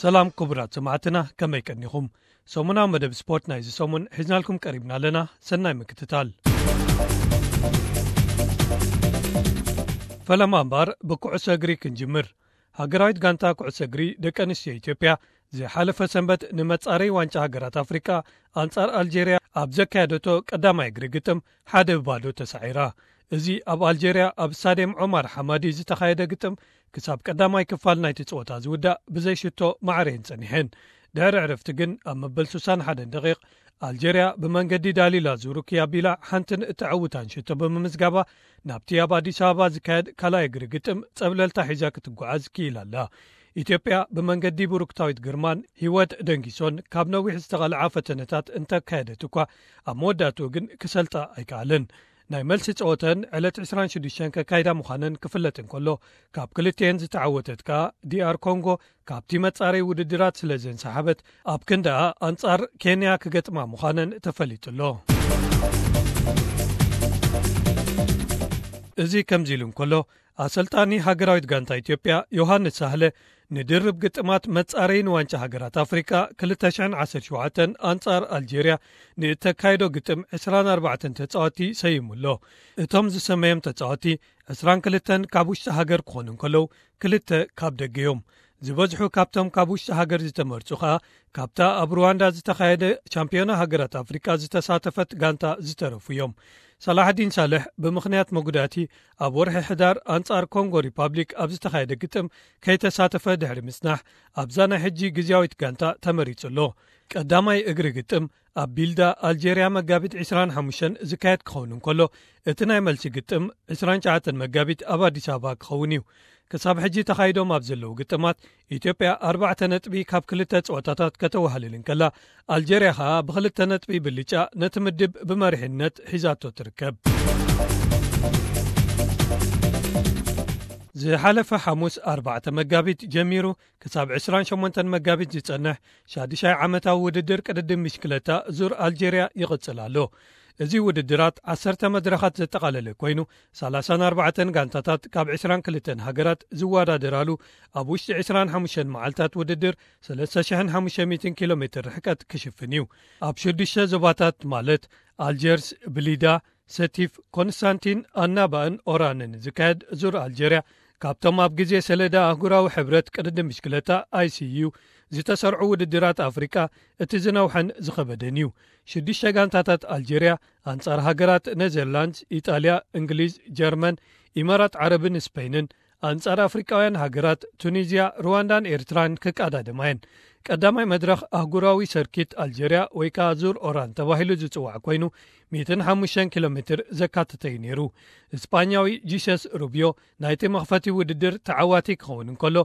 ሰላም ክቡራት ሰማዕትና፣ ከመይ ቀኒኹም? ሰሙናዊ መደብ ስፖርት ናይዚ ሰሙን ሒዝናልኩም ቀሪብና ኣለና። ሰናይ ምክትታል። ፈለማ እምበኣር ብኩዕሶ እግሪ ክንጅምር። ሃገራዊት ጋንታ ኩዕሶ እግሪ ደቂ ኣንስትዮ ኢትዮጵያ ዝሓለፈ ሰንበት ንመጻረይ ዋንጫ ሃገራት ኣፍሪቃ ኣንጻር ኣልጄርያ ኣብ ዘካየደቶ ቀዳማይ እግሪ ግጥም ሓደ ብባዶ ተሳዒራ። እዚ ኣብ ኣልጄርያ ኣብ ስታድየም ዖማር ሓማዲ ዝተኻየደ ግጥም ክሳብ ቀዳማይ ክፋል ናይቲ ጸወታ ዝውዳእ ብዘይሽቶ ማዕረየን ጸኒሐን። ድሕሪ ዕረፍቲ ግን ኣብ መበል ስሳን ሓደን ደቂቕ ኣልጄርያ ብመንገዲ ዳሊላ ዙሩኪ ኣቢላ ሓንትን እተዕውታን ሽቶ ብምምዝጋባ ናብቲ ኣብ ኣዲስ ኣበባ ዝካየድ ካልኣይ እግሪ ግጥም ጸብለልታ ሒዛ ክትጓዓዝ ክኢላ ኣላ። ኢትዮጵያ ብመንገዲ ብሩክታዊት ግርማን ህይወት ደንጊሶን ካብ ነዊሕ ዝተቐልዓ ፈተነታት እንተካየደት እኳ ኣብ መወዳእትኡ ግን ክሰልጣ ኣይከኣለን። ናይ መልሲ ጸወተን ዕለት ዕስራን ሽዱሽተን ከካይዳ ምዃነን ክፍለጥ እንከሎ ካብ ክልቲኤን ዝተዓወተት ከኣ ዲኣር ኮንጎ ካብቲ መጻረይ ውድድራት ስለ ዘንሰሓበት ኣብ ክንዳኣ ኣንጻር ኬንያ ክገጥማ ምዃነን ተፈሊጡ ኣሎ። እዚ ከምዚ ኢሉ እንከሎ ኣሰልጣኒ ሃገራዊት ጋንታ ኢትዮጵያ ዮሃንስ ሳህለ ንድርብ ግጥማት መጻረይ ንዋንጫ ሃገራት ኣፍሪቃ ክልተ ሽሕን ዓሰርተ ሸውዓተን ኣንጻር ኣልጄርያ ንእተካይዶ ግጥም ዕስራን ኣርባዕተን ተጻወቲ ሰይሙ ኣሎ። እቶም ዝሰመዮም ተጻወቲ ዕስራን ክልተን ካብ ውሽጢ ሃገር ክኾኑ እንከለዉ ክልተ ካብ ደገ እዮም። ዝበዝሑ ካብቶም ካብ ውሽጢ ሃገር ዝተመርጹ ከኣ ካብታ ኣብ ሩዋንዳ ዝተኻየደ ቻምፒዮና ሃገራት ኣፍሪቃ ዝተሳተፈት ጋንታ ዝተረፉ እዮም። ሳላሕዲን ሳልሕ ብምኽንያት መጉዳእቲ ኣብ ወርሒ ሕዳር ኣንጻር ኮንጎ ሪፓብሊክ ኣብ ዝተኻየደ ግጥም ከይተሳተፈ ድሕሪ ምጽናሕ ኣብዛ ናይ ሕጂ ግዝያዊት ጋንታ ተመሪጹ ኣሎ። ቀዳማይ እግሪ ግጥም ኣብ ቢልዳ ኣልጄርያ መጋቢት ዕስራን ሓሙሽተን ዝካየድ ክኸውን እንከሎ እቲ ናይ መልሲ ግጥም ዕስራን ትሽዓተን መጋቢት ኣብ ኣዲስ ኣበባ ክኸውን እዩ። ክሳብ ሕጂ ተኻይዶም ኣብ ዘለዉ ግጥማት ኢትዮጵያ ኣርባዕተ ነጥቢ ካብ ክልተ ጸወታታት ከተወሃልል እንከላ ኣልጀርያ ኸኣ ብኽልተ ነጥቢ ብልጫ ነቲ ምድብ ብመሪሕነት ሒዛቶ ትርከብ። ዝሓለፈ ሓሙስ ኣርባዕተ መጋቢት ጀሚሩ ክሳብ ዕስራን ሸሞንተን መጋቢት ዝጸንሕ ሻዱሻይ ዓመታዊ ውድድር ቅድድም ብሽክለታ ዙር ኣልጀርያ ይቕጽል ኣሎ። እዚ ውድድራት ዓሰርተ መድረኻት ዘጠቓለለ ኮይኑ ሰላሳን ኣርባዕተን ጋንታታት ካብ ዕስራን ክልተን ሃገራት ዝወዳደራሉ ኣብ ውሽጢ ዕስራን ሓሙሽተን መዓልታት ውድድር ሰለስተ ሽሕን ሓሙሽተ ሚእትን ኪሎ ሜትር ርሕቀት ክሽፍን እዩ። ኣብ ሽዱሽተ ዞባታት ማለት ኣልጀርስ፣ ብሊዳ፣ ሰቲፍ፣ ኮንስታንቲን፣ ኣናባእን ኦራንን ዝካየድ ዙር ኣልጀርያ ካብቶም ኣብ ግዜ ሰሌዳ ኣህጉራዊ ሕብረት ቅድድም ብሽክለታ ኣይሲዩ ዝተሰርዑ ውድድራት ኣፍሪቃ እቲ ዝነውሐን ዝኸበደን እዩ። ሽዱሽተ ጋንታታት ኣልጀርያ ኣንጻር ሃገራት ኔዘርላንድስ፣ ኢጣልያ፣ እንግሊዝ፣ ጀርመን፣ ኢማራት ዓረብን ስፔንን ኣንጻር ኣፍሪቃውያን ሃገራት ቱኒዝያ፣ ሩዋንዳን ኤርትራን ክቀዳደማ እየን። ቀዳማይ መድረኽ ኣህጉራዊ ሰርኪት ኣልጀርያ ወይ ከኣ ዙር ኦራን ተባሂሉ ዝጽዋዕ ኮይኑ ሚእትን ሓሙሽተን ኪሎ ሜትር ዘካተተ እዩ ነይሩ። እስጳኛዊ ጂሰስ ሩብዮ ናይቲ መኽፈቲ ውድድር ተዓዋቲ ክኸውን እንከሎ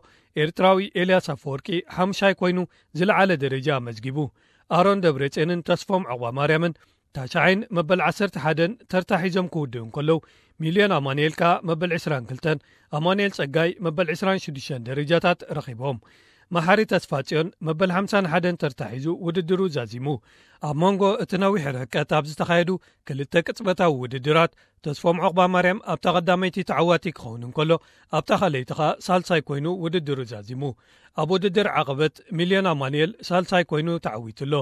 ኤርትራዊ ኤልያስ ኣፈወርቂ ሓምሻይ ኮይኑ ዝለዓለ ደረጃ ኣመዝጊቡ። ኣሮን ደብረጽዮንን ተስፎም ዑቕባማርያምን ታሽዓይን መበል ዓሰርተ ሓደን ተርታ ሒዞም ክውድኡ እንከለዉ ሚልዮን ኣማኑኤል ከኣ መበል ዕስራን ክልተን ኣማኑኤል ጸጋይ መበል ዕስራን ሽዱሽተን ደረጃታት ረኺቦም። መሓሪ ተስፋጽዮን መበል ሓምሳን ሓደን ተርታ ሒዙ ውድድሩ ዛዚሙ። ኣብ መንጎ እቲ ነዊሕ ርሕቀት ኣብ ዝተኻየዱ ክልተ ቅጽበታዊ ውድድራት ተስፎም ዑቕባማርያም ኣብታ ቀዳመይቲ ተዓዋቲ ክኸውን እንከሎ ኣብታ ካልኣይቲ ኸኣ ሳልሳይ ኮይኑ ውድድሩ ዛዚሙ። ኣብ ውድድር ዓቐበት ሚልዮን ኣማኑኤል ሳልሳይ ኮይኑ ተዓዊቱ ኣሎ።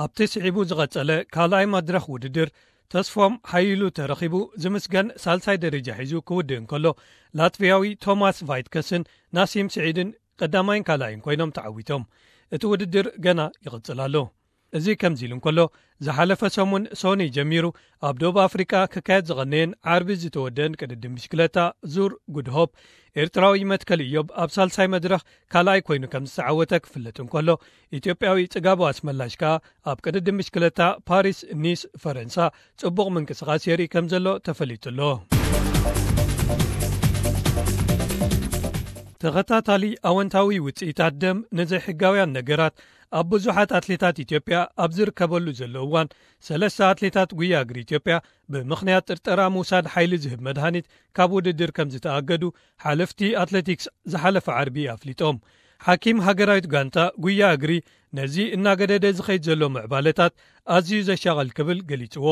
ኣብቲ ስዒቡ ዝቐጸለ ካልኣይ መድረኽ ውድድር ተስፎም ሓይሉ ተረኺቡ ዝምስገን ሳልሳይ ደረጃ ሒዙ ክውድእ እንከሎ ላትቪያዊ ቶማስ ቫይትከስን ናሲም ስዒድን ቀዳማይን ካልኣይን ኮይኖም ተዓዊቶም። እቲ ውድድር ገና ይቕጽል ኣሎ። እዚ ከምዚ ኢሉ እንከሎ ዝሓለፈ ሰሙን ሶኒ ጀሚሩ ኣብ ደቡብ ኣፍሪቃ ክካየድ ዝቐነየን ዓርቢ ዝተወደአን ቅድድም ብሽክለታ ዙር ጉድ ሆፕ ኤርትራዊ መትከል ኢዮብ ኣብ ሳልሳይ መድረኽ ካልኣይ ኮይኑ ከም ዝተዓወተ ክፍለጥ እንከሎ ኢትዮጵያዊ ጽጋቡ ኣስመላሽ ከኣ ኣብ ቅድድም ብሽክለታ ፓሪስ ኒስ ፈረንሳ ጽቡቕ ምንቅስቓስ የርኢ ከም ዘሎ ተፈሊጡ ኣሎ። ተኸታታሊ ኣወንታዊ ውጽኢታት ደም ንዘይሕጋውያን ነገራት ኣብ ብዙሓት ኣትሌታት ኢትዮጵያ ኣብ ዝርከበሉ ዘሎ እዋን ሰለስተ ኣትሌታት ጉያ እግሪ ኢትዮጵያ ብምኽንያት ጥርጠራ ምውሳድ ሓይሊ ዝህብ መድሃኒት ካብ ውድድር ከም ዝተኣገዱ ሓለፍቲ ኣትሌቲክስ ዝሓለፈ ዓርቢ ኣፍሊጦም። ሓኪም ሃገራዊት ጋንታ ጉያ እግሪ ነዚ እናገደደ ዝኸይድ ዘሎ ምዕባለታት ኣዝዩ ዘሻቐል ክብል ገሊጽዎ።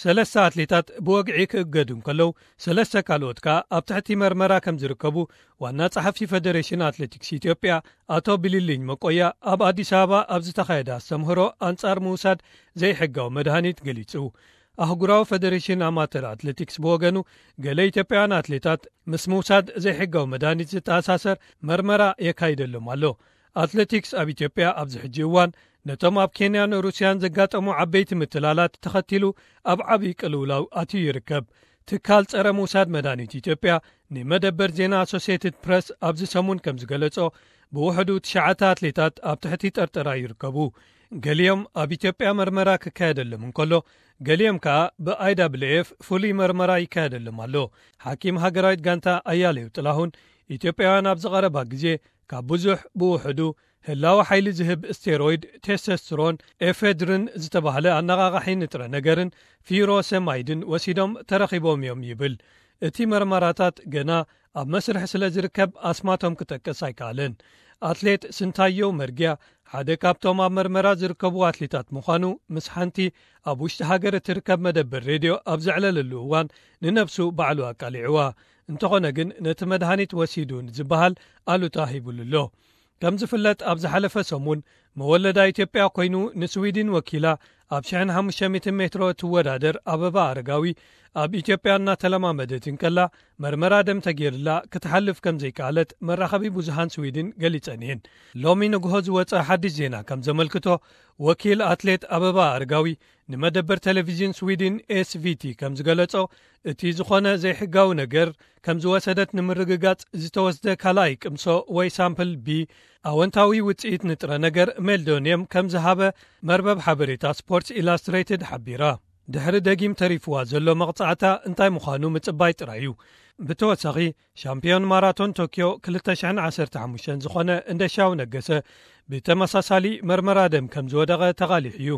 ሰለስተ ኣትሌታት ብወግዒ ክእገዱ እንከለዉ፣ ሰለስተ ካልኦት ከኣ ኣብ ትሕቲ መርመራ ከም ዝርከቡ ዋና ጸሓፊ ፈደሬሽን ኣትሌቲክስ ኢትዮጵያ ኣቶ ቢልልኝ መቆያ ኣብ ኣዲስ ኣበባ ኣብ ዝተኻየደ ኣስተምህሮ ኣንጻር ምውሳድ ዘይሕጋዊ መድሃኒት ገሊጹ። ኣህጉራዊ ፈደሬሽን ኣማተር ኣትሌቲክስ ብወገኑ፣ ገለ ኢትዮጵያውያን ኣትሌታት ምስ ምውሳድ ዘይሕጋዊ መድሃኒት ዝተኣሳሰር መርመራ የካይደሎም ኣሎ። ኣትሌቲክስ ኣብ ኢትዮጵያ ኣብዚ ሕጂ እዋን ነቶም ኣብ ኬንያን ሩስያን ዘጋጠሙ ዓበይቲ ምትላላት ተኸቲሉ ኣብ ዓብዪ ቅልውላው ኣትዩ ይርከብ። ትካል ጸረ ምውሳድ መድሃኒት ኢትዮጵያ ንመደበር ዜና ኣሶሲየትድ ፕረስ ኣብዚ ሰሙን ከም ዝገለጾ፣ ብውሕዱ ትሽዓተ ኣትሌታት ኣብ ትሕቲ ጠርጠራ ይርከቡ። ገሊኦም ኣብ ኢትዮጵያ መርመራ ክካየደሎም እንከሎ፣ ገሊኦም ከኣ ብኣይ ደብሊው ኤፍ ፍሉይ መርመራ ይካየደሎም ኣሎ። ሓኪም ሃገራዊት ጋንታ ኣያሌው ጥላሁን፣ ኢትዮጵያውያን ኣብዚ ቀረባ ግዜ ካብ ብዙሕ ብውሕዱ ህላወ ሓይሊ ዝህብ ስቴሮይድ፣ ቴስቶስትሮን፣ ኤፌድሪን ዝተባህለ ኣነቓቓሒ ንጥረ ነገርን ፊሮሰማይድን ወሲዶም ተረኺቦም እዮም ይብል። እቲ መርመራታት ገና ኣብ መስርሕ ስለ ዝርከብ ኣስማቶም ክጠቅስ ኣይከኣለን። ኣትሌት ስንታየው መርጊያ ሓደ ካብቶም ኣብ መርመራ ዝርከቡ ኣትሌታት ምዃኑ ምስ ሓንቲ ኣብ ውሽጢ ሃገር እትርከብ መደበር ሬድዮ ኣብ ዘዕለለሉ እዋን ንነብሱ ባዕሉ ኣቃሊዕዋ። እንተኾነ ግን ነቲ መድሃኒት ወሲዱ ዝበሃል ኣሉታ ሂቡሉ ኣሎ። ከም ዝፍለጥ ኣብ ዝሓለፈ ሰሙን መወለዳ ኢትዮጵያ ኮይኑ ንስዊድን ወኪላ ኣብ ሽሕን ሓሙሽተ ሚእትን ሜትሮ እትወዳደር ኣበባ ኣረጋዊ ኣብ ኢትዮጵያ እናተለማመደት እንከላ መርመራ ደም ተገይርላ ክትሓልፍ ከም ዘይከኣለት መራኸቢ ብዙሃን ስዊድን ገሊጸን እየን። ሎሚ ንግሆ ዝወጸ ሓድሽ ዜና ከም ዘመልክቶ ወኪል ኣትሌት ኣበባ ኣረጋዊ ንመደበር ቴሌቪዥን ስዊድን ኤስቪቲ ከም ዝገለጾ እቲ ዝኾነ ዘይሕጋዊ ነገር ከም ዝወሰደት ንምርግጋጽ ዝተወስደ ካልኣይ ቅምሶ ወይ ሳምፕል ቢ ኣወንታዊ ውጽኢት ንጥረ ነገር ሜልዶኒየም ከም ዝሃበ መርበብ ሓበሬታ ስፖርትስ ኢላስትሬትድ ሓቢራ። ድሕሪ ደጊም ተሪፍዋ ዘሎ መቕጻዕታ እንታይ ምዃኑ ምጽባይ ጥራይ እዩ። ብተወሳኺ ሻምፒዮን ማራቶን ቶኪዮ ክልተ ሽሕን ዓሰርተ ሓሙሽተን ዝኾነ እንደሻው ነገሰ ብተመሳሳሊ መርመራ ደም ከም ዝወደቐ ተቓሊሑ እዩ።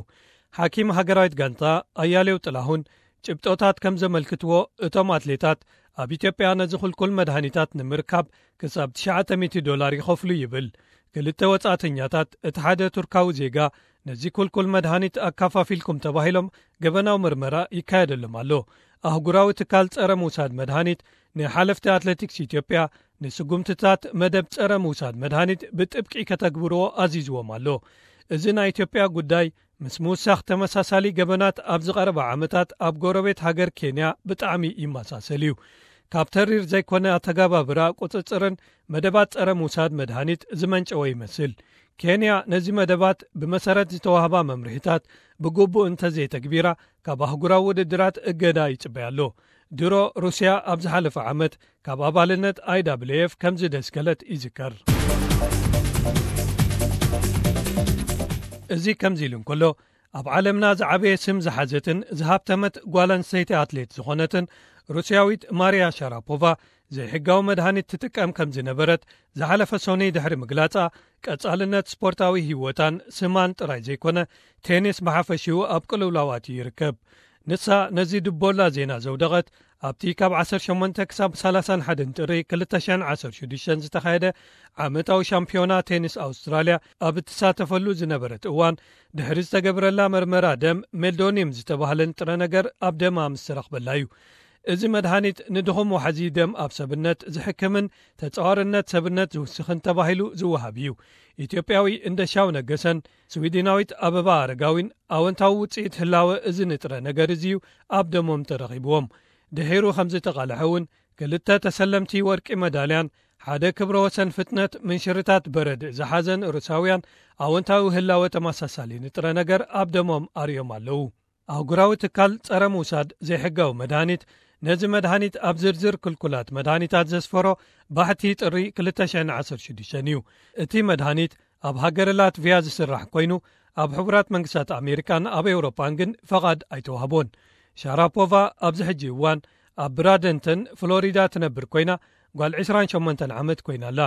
ሓኪም ሃገራዊት ጋንታ ኣያሌው ጥላሁን ጭብጦታት ከም ዘመልክትዎ እቶም ኣትሌታት ኣብ ኢትዮጵያ ነዚ ኩልኩል መድሃኒታት ንምርካብ ክሳብ ትሽዓተ ሚእቲ ዶላር ይኸፍሉ ይብል። ክልተ ወጻእተኛታት እቲ ሓደ ቱርካዊ ዜጋ ነዚ ኩልኩል መድሃኒት ኣካፋፊልኩም ተባሂሎም ገበናዊ ምርመራ ይካየደሎም ኣሎ። ኣህጉራዊ ትካል ጸረ ምውሳድ መድሃኒት ንሓለፍቲ ኣትሌቲክስ ኢትዮጵያ ንስጉምትታት መደብ ጸረ ምውሳድ መድሃኒት ብጥብቂ ከተግብርዎ ኣዚዝዎም ኣሎ። እዚ ናይ ኢትዮጵያ ጉዳይ ምስ ምውሳኽ ተመሳሳሊ ገበናት ኣብ ዝቐረባ ዓመታት ኣብ ጎረቤት ሃገር ኬንያ ብጣዕሚ ይመሳሰል እዩ። ካብ ተሪር ዘይኮነ ኣተጋባብራ ቁጽጽርን መደባት ጸረ ምውሳድ መድሃኒት ዝመንጨወ ይመስል። ኬንያ ነዚ መደባት ብመሰረት ዝተዋህባ መምርሒታት ብግቡእ እንተዘይተግቢራ ካብ ኣህጉራዊ ውድድራት እገዳ ይጽበያ ኣሎ። ድሮ ሩስያ ኣብ ዝሓለፈ ዓመት ካብ ኣባልነት ኣይ ደብሊው ኤፍ ከም ዝደስከለት ይዝከር። እዚ ከምዚ ኢሉ እንከሎ፣ ኣብ ዓለምና ዝዓበየ ስም ዝሓዘትን ዝሃብተመት ጓል ኣንስተይቲ ኣትሌት ዝኾነትን ሩስያዊት ማርያ ሻራፖቫ ዘይሕጋዊ መድሃኒት ትጥቀም ከም ዝነበረት ዝሓለፈ ሶኒ ድሕሪ ምግላጻ፣ ቀጻልነት ስፖርታዊ ህይወታን ስማን ጥራይ ዘይኮነ፣ ቴኒስ ብሓፈሽኡ ኣብ ቅልውላው ኣትዩ ይርከብ። ንሳ ነዚ ድቦላ ዜና ዘውደቐት ኣብቲ ካብ ዓሰርተ ሸሞንተ ክሳብ ሰላሳን ሓደን ጥሪ ክልተ ሽሕን ዓሰርተ ሽዱሽተን ዝተኻየደ ዓመታዊ ሻምፒዮና ቴኒስ ኣውስትራልያ ኣብ እትሳተፈሉ ዝነበረት እዋን፣ ድሕሪ ዝተገብረላ መርመራ ደም ሜልዶኒየም ዝተባህለ ንጥረ ነገር ኣብ ደማ ምስ ተረኽበላ እዩ። እዚ መድሃኒት ንድኹም ዋሕዚ ደም ኣብ ሰብነት ዝሕክምን ተጻዋርነት ሰብነት ዝውስኽን ተባሂሉ ዝወሃብ እዩ። ኢትዮጵያዊ እንደሻው ነገሰን ስዊድናዊት ኣበባ ኣረጋዊን ኣወንታዊ ውጽኢት ህላወ እዚ ንጥረ ነገር እዚ እዩ ኣብ ደሞም ተረኺብዎም። ድሒሩ ከም ዝተቓልሐ እውን ክልተ ተሰለምቲ ወርቂ መዳልያን ሓደ ክብረ ወሰን ፍጥነት ምንሽርታት በረድ ዝሓዘን ሩሳውያን ኣወንታዊ ህላወ ተመሳሳሊ ንጥረ ነገር ኣብ ደሞም ኣርእዮም ኣለዉ። ኣህጉራዊ ትካል ጸረ ምውሳድ ዘይሕጋዊ መድሃኒት ነዚ መድሃኒት ኣብ ዝርዝር ክልኩላት መድሃኒታት ዘስፈሮ ባሕቲ ጥሪ ክልተ ሽሕን ዓሰርተ ሽዱሽተን እዩ። እቲ መድሃኒት ኣብ ሃገረ ላትቪያ ዝስራሕ ኮይኑ፣ ኣብ ሕቡራት መንግስታት ኣሜሪካን ኣብ ኤውሮጳን ግን ፈቓድ ኣይተዋህቦን። ሻራፖቫ ኣብዚ ሕጂ እዋን ኣብ ብራደንተን ፍሎሪዳ ትነብር ኮይና፣ ጓል ዕስራን ሸሞንተን ዓመት ኮይና ኣላ።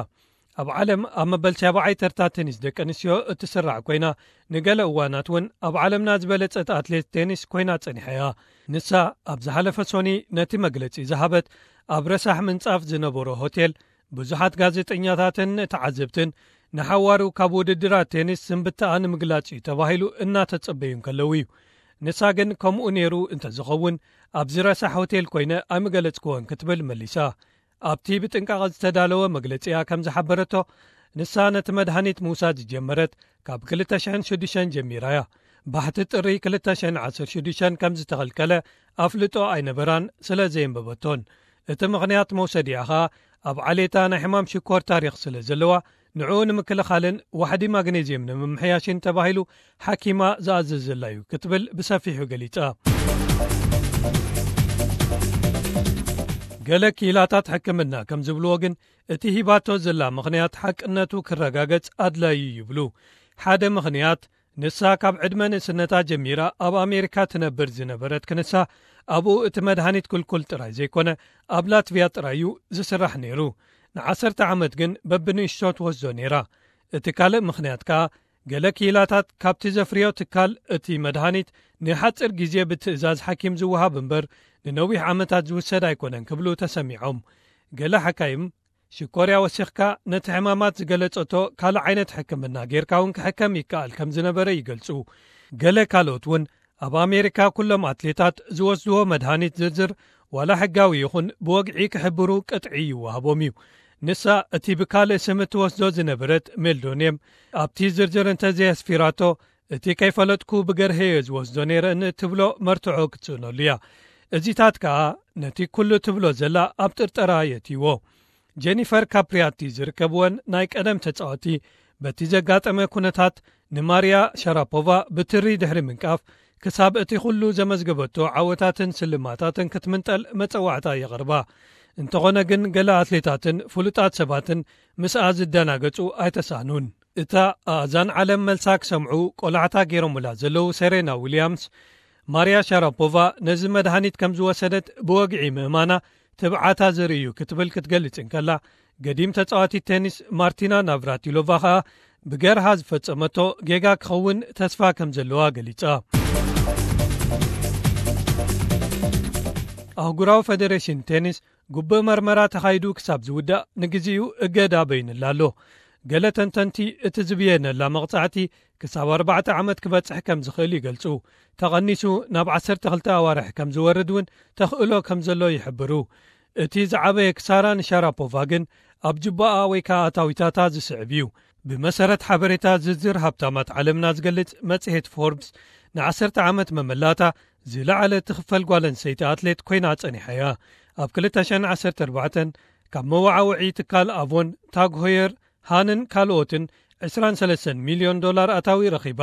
ኣብ ዓለም ኣብ መበል ሻብዓይ ተርታ ቴኒስ ደቂ ኣንስትዮ እትስራዕ ኮይና፣ ንገለ እዋናት እውን ኣብ ዓለምና ዝበለጸት ኣትሌት ቴኒስ ኮይና ጸኒሓ እያ። ንሳ ኣብ ዝሓለፈ ሶኒ ነቲ መግለጺ ዝሃበት ኣብ ረሳሕ ምንጻፍ ዝነበሮ ሆቴል፣ ብዙሓት ጋዜጠኛታትን ተዓዘብትን ንሓዋሩ ካብ ውድድራት ቴኒስ ስንብትኣ ንምግላጽ እዩ ተባሂሉ እናተጸበዩ እንከለዉ እዩ። ንሳ ግን ከምኡ ነይሩ እንተዝኸውን ኣብዚ ረሳሕ ሆቴል ኮይነ ኣይምገለጽክዎን ክትብል መሊሳ። ኣብቲ ብጥንቃቐ ዝተዳለወ መግለጺኣ ከም ዝሓበረቶ፣ ንሳ ነቲ መድሃኒት ምውሳድ ዝጀመረት ካብ ክልተ ሽሕን ሽዱሽተን ጀሚራ እያ። ባሕቲ ጥሪ ክልተ ሽሕን ዓሰርተ ሽዱሽተን ከም ዝተኸልከለ ኣፍልጦ ኣይነበራን ስለ ዘየንበበቶን። እቲ ምኽንያት መውሰዲኣ ኸኣ ኣብ ዓሌታ ናይ ሕማም ሽኮር ታሪኽ ስለ ዘለዋ፣ ንዕኡ ንምክልኻልን ዋሕዲ ማግኔዝየም ንምምሕያሽን ተባሂሉ ሓኪማ ዝኣዘዘላ እዩ ክትብል ብሰፊሑ ገሊጻ። ገለ ክኢላታት ሕክምና ከም ዝብልዎ ግን፣ እቲ ሂባቶ ዘላ ምኽንያት ሓቅነቱ ክረጋገጽ ኣድላዩ ይብሉ። ሓደ ምኽንያት፣ ንሳ ካብ ዕድመ ንእስነታ ጀሚራ ኣብ ኣሜሪካ ትነብር ዝነበረት ክንሳ፣ ኣብኡ እቲ መድሃኒት ክልኩል ጥራይ ዘይኮነ፣ ኣብ ላትቪያ ጥራይ እዩ ዝስራሕ ነይሩ። ንዓሰርተ ዓመት ግን በብንእሽቶ ትወስዶ ነይራ። እቲ ካልእ ምኽንያት ከኣ፣ ገለ ክኢላታት ካብቲ ዘፍርዮ ትካል እቲ መድሃኒት ንሓጺር ግዜ ብትእዛዝ ሓኪም ዝወሃብ እምበር፣ ንነዊሕ ዓመታት ዝውሰድ ኣይኮነን ክብሉ ተሰሚዖም። ገለ ሓካይም፣ ሽኮርያ ወሲኽካ ነቲ ሕማማት ዝገለጸቶ ካልእ ዓይነት ሕክምና ጌርካ እውን ክሕከም ይከኣል ከም ዝነበረ ይገልጹ። ገለ ካልኦት እውን፣ ኣብ ኣሜሪካ ኩሎም ኣትሌታት ዝወስድዎ መድሃኒት ዝርዝር ዋላ ሕጋዊ ይኹን ብወግዒ ክሕብሩ ቅጥዒ ይወሃቦም እዩ። ንሳ እቲ ብካልእ ስም እትወስዶ ዝነበረት ሜልዶንየም፣ ኣብቲ ዝርዝር እንተዘየስፊራቶ፣ እቲ ከይፈለጥኩ ብገርሀዮ ዝወስዶ ነይረ ንእትብሎ መርትዖ ክትስእነሉ እያ። እዚታት ከኣ ነቲ ኩሉ ትብሎ ዘላ ኣብ ጥርጠራ የእትይዎ። ጀኒፈር ካፕሪያቲ ዝርከብወን ናይ ቀደም ተጻወቲ፣ በቲ ዘጋጠመ ኩነታት ንማርያ ሻራፖቫ ብትሪ ድሕሪ ምንቃፍ፣ ክሳብ እቲ ኩሉ ዘመዝገበቶ ዓወታትን ስልማታትን ክትምንጠል መጸዋዕታ የቕርባ። እንተኾነ ግን፣ ገለ ኣትሌታትን ፍሉጣት ሰባትን ምስኣ ዝደናገጹ ኣይተሳኑን። እታ ኣእዛን ዓለም መልሳ ክሰምዑ ቆላሕታ ገይሮምላ ዘለዉ ሴሬና ዊልያምስ፣ ማርያ ሻራፖቫ ነዚ መድሃኒት ከም ዝወሰደት ብወግዒ ምእማና ትብዓታ ዘርኢ እዩ ክትብል ክትገልጽ እንከላ፣ ገዲም ተጻዋቲት ቴኒስ ማርቲና ናቭራቲሎቫ ኸኣ ብገርሃ ዝፈጸመቶ ጌጋ ክኸውን ተስፋ ከም ዘለዋ ገሊጻ። ኣህጉራዊ ፈደሬሽን ቴኒስ ግቡእ መርመራ ተኻይዱ ክሳብ ዝውዳእ ንግዜኡ እገዳ በይንላ ኣሎ። ገለ ተንተንቲ እቲ ዝብየነላ መቕጻዕቲ ክሳብ ኣርባዕተ ዓመት ክበጽሕ ከም ዝኽእል ይገልጹ። ተቐኒሱ ናብ ዓሰርተ ክልተ ኣዋርሕ ከም ዝወርድ እውን ተኽእሎ ከም ዘሎ ይሕብሩ። እቲ ዝዓበየ ክሳራ ንሻራፖቫ ግን ኣብ ጅባኣ ወይ ከኣ ኣታዊታታ ዝስዕብ እዩ። ብመሰረት ሓበሬታ ዝርዝር ሃብታማት ዓለምና ዝገልጽ መጽሔት ፎርብስ፣ ንዓሰርተ ዓመት መመላእታ ዝለዓለ ትኽፈል ጓል ኣንስተይቲ ኣትሌት ኮይና ጸኒሓ እያ። ኣብ ክልተ ሽሕን ዓሰርተ ኣርባዕተን ካብ መወዓውዒ ትካል ኣቮን፣ ታግ ሆየር፣ ሃንን ካልኦትን ዕስራን ሰለስተን ሚልዮን ዶላር ኣታዊ ረኺባ።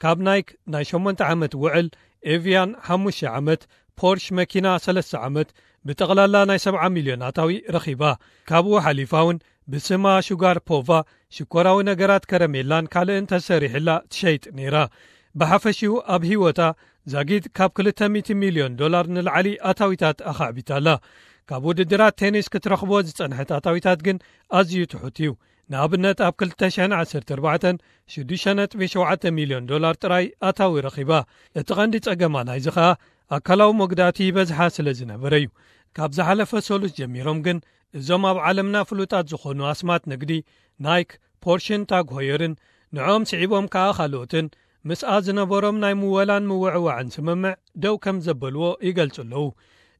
ካብ ናይክ ናይ ሸሞንተ ዓመት ውዕል፣ ኤቪያን ሓሙሽተ ዓመት፣ ፖርሽ መኪና ሰለስተ ዓመት፣ ብጠቕላላ ናይ ሰብዓ ሚልዮን ኣታዊ ረኺባ። ካብኡ ሓሊፋ እውን ብስማ ሹጋር ፖቫ ሽኮራዊ ነገራት፣ ከረሜላን ካልእን ተሰሪሕላ ትሸይጥ ነይራ። ብሓፈሽኡ ኣብ ህይወታ ዛጊድ ካብ ክልተ ሚእቲ ሚልዮን ዶላር ንላዕሊ ኣታዊታት ኣኻዕቢታ ኣላ። ካብ ውድድራት ቴኒስ ክትረኽቦ ዝጸንሐት ኣታዊታት ግን ኣዝዩ ትሑት እዩ። ንኣብነት፣ ኣብ ክልተ ሽሕን ዓሰርተ ኣርባዕተን ሽዱሽተ ነጥቢ ሸውዓተ ሚልዮን ዶላር ጥራይ ኣታዊ ረኺባ። እቲ ቀንዲ ጸገማ ናይዚ ኸኣ ኣካላዊ መጉዳእቲ ይበዝሓ ስለ ዝነበረ እዩ። ካብ ዝሓለፈ ሰሉስ ጀሚሮም ግን እዞም ኣብ ዓለምና ፍሉጣት ዝኾኑ ኣስማት ንግዲ ናይክ፣ ፖርሽን ታግ ሆየርን ንዕኦም ስዒቦም ከኣ ካልኦትን ምስኣ ዝነበሮም ናይ ምወላን ምውዕዋዕን ስምምዕ ደው ከም ዘበልዎ ይገልጹ ኣለዉ።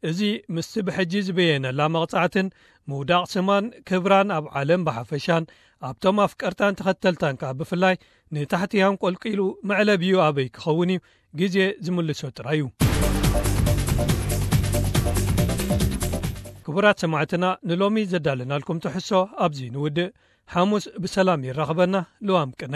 እዚ ምስቲ ብሕጂ ዝበየነላ መቕጻዕትን ምውዳቕ ስማን ክብራን ኣብ ዓለም ብሓፈሻን ኣብቶም ኣፍቀርታን ተኸተልታን ከኣ ብፍላይ ንታሕቲ ያንቆልቂሉ መዕለቢኡ ኣበይ ክኸውን እዩ ግዜ ዝምልሶ ጥራይ እዩ። ክቡራት ሰማዕትና፣ ንሎሚ ዘዳለናልኩም ትሕሶ ኣብዚ ንውድእ። ሓሙስ ብሰላም ይራኽበና። ልዋም ቅነ።